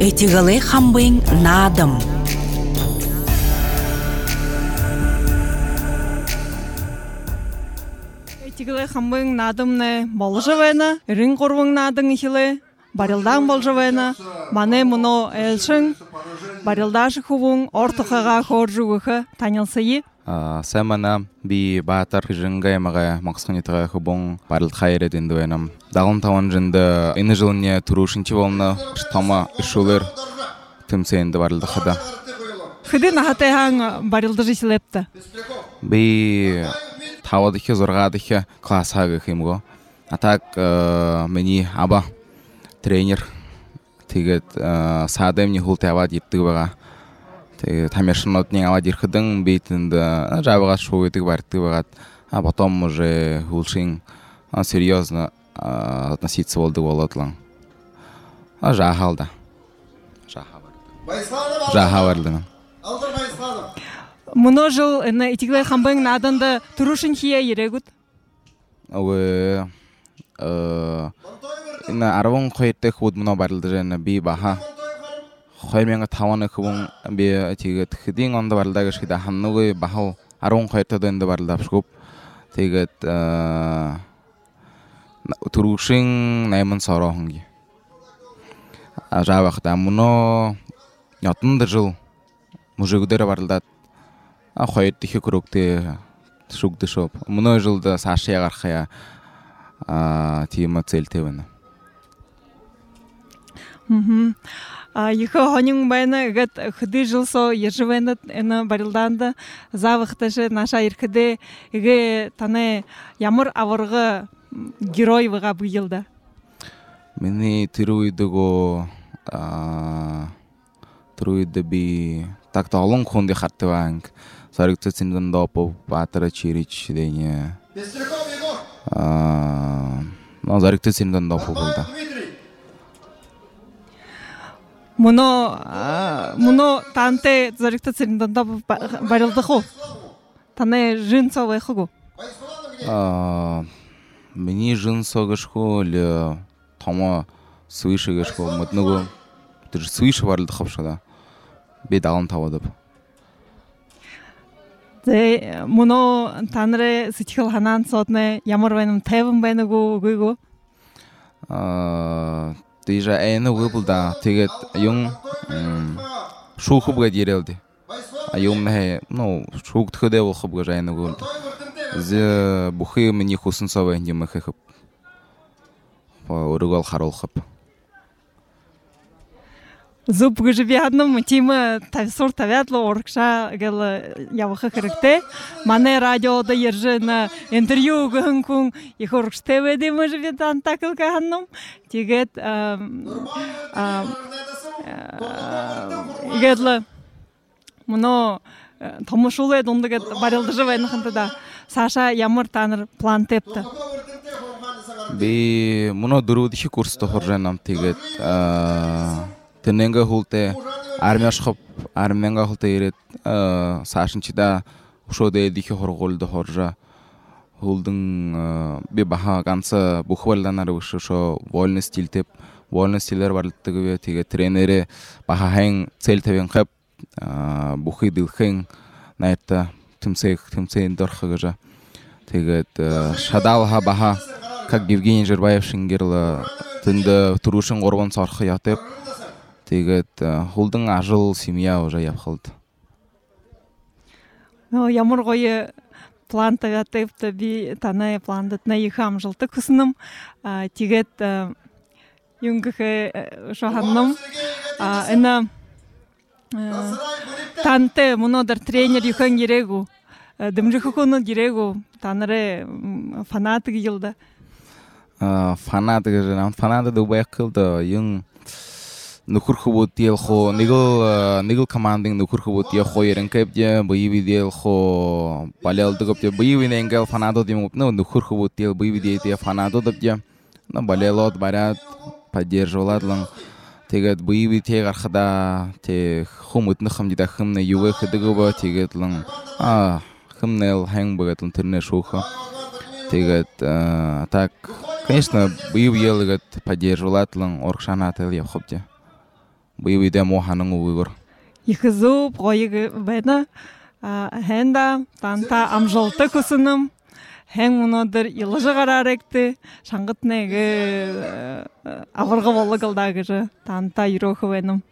Этигале хамбын надым. Этигале хамбын надымны болжавена, рин корвың надың ихиле, барилдан болжавена, мане муно элшин, барилдаш хувун ортохага хоржугуха танилсайы. Сэмана би баатар жингаймага максханитага хубон барил хайрет индуэнам. Дагын таван жинда эни жылыне турушинчи болна штама ишулер тымсенде барилда хада. Хыды нахатайхан барилда жисилепта. Би тавадыхе зоргадыхе классага химго. А так мени аба тренер тигет садемни хултавад иптыга. Тамершинотнин авад ирхыдың бейтінді жабыға шоуетік бартты бағат. А потом уже хулшин серьезно относиться болды болатылың. Жахалда. Жахаварды. Мұно жыл этигале хамбын надында турушин хия ерегут? Арвон қойты худ мұно барылды жайна би баха. Хойменга таваны хубун бе тигет хидин онда барлага шида ханнугы бахал арон қойты дөнді барлап шкуп. Тигет турушин наймын сарахынги. Жабақта мұно ятынды жыл мужигудері барлдат. Қойты хи күрікті шугды шоп. Мұно жылды сашия қарқая тиема целтевіні. Ехо хонин байна гад хыды жылсо ержевенат эна барилданда завыхташы наша ирхыды эге таны ямар авырғы герой вага быйылда. Мені тируидыго тируиды би так талын хонды хатты ванг. Сарыкты циндан допу батыра чирич дейне. Зарыкты циндан допу булда. Мұно танте зарикта цирінданда барилды ху? Таны жын совай хугу? Мені жын соғышху лі тома суишы гышху. Мұтнығу суишы барылды қапшыда. Бей дағын тавадып. Мұно таныры сытхил ханан сотны ямар байным тайвын байнығу гүйгу? Тижа әйіні ғыбылда тегет юң шу хубға дерелді. Юң нәхе, шуғды хыде ол хубға жайыны ғылды. Зе бұхы мені хусын савай не мұхы хып. Үрігал харол хып. Зуб гыжыбе адным тимы тависор тавятлы оркша гэл явыхы кірікті. Мане радиода ержі на интервью гын күн их оркште веде мұжыбе тантакылка ханным. Тегет игедлі мұно томышулы дондыгет барилды жывайны хынтыда. Саша ямар таныр план тепті. Би мұно дұрудыши курсты хоржайнам тегет. Тененга хулте армия шхып армияга хулте ирет сашынчыда ушоде дихи хорголды хоржа хулдың би баха ганса бухвалданар ушо вольный стиль теп вольный стилер барлыктыгы теге тренери баха хэн цель тебен хап бухи дилхэн найта тимсейн дорхагажа тегет шадалха баха как Евгений Жербаев шингерла тында турушин горбон сархы ятып тегет хулдың ажыл семья уже япхылды. Ямар гойы план тагатыпты би таны пландытна ихам жылты кысыным. Тегет юнгыхы шоханным. Эна танты мұнодыр тренер юхан ерегу. Дымжыхы хуну ерегу. Таныры фанаты гылды. Фанаты гылды. Фанаты дубаяк кылды. Юн нухур хубут ел хо нигл командың нухур хубут ел хо ерен кепде боевый дел хо балел дгопте боевый ненгел фанадо димуп нухур хубут ел боевый дел фанадо дгопте балелот барят поддерживаладлан тегет боевый тег архада те хумут нхам дида хымны юге хыдыгыба тегетлан хымнел хэнг багатлан терне шуха тегет так конечно боевый ел поддерживаладлан оркшанател яхопте. быйбыйда моханың уйгыр. Ихызу пойы бена хенда танта амжолты кусыным. Хэн мунодыр илыжы қараректі, шаңғыт неге авырғы болы қылдағыжы, танта үйрохы бенім.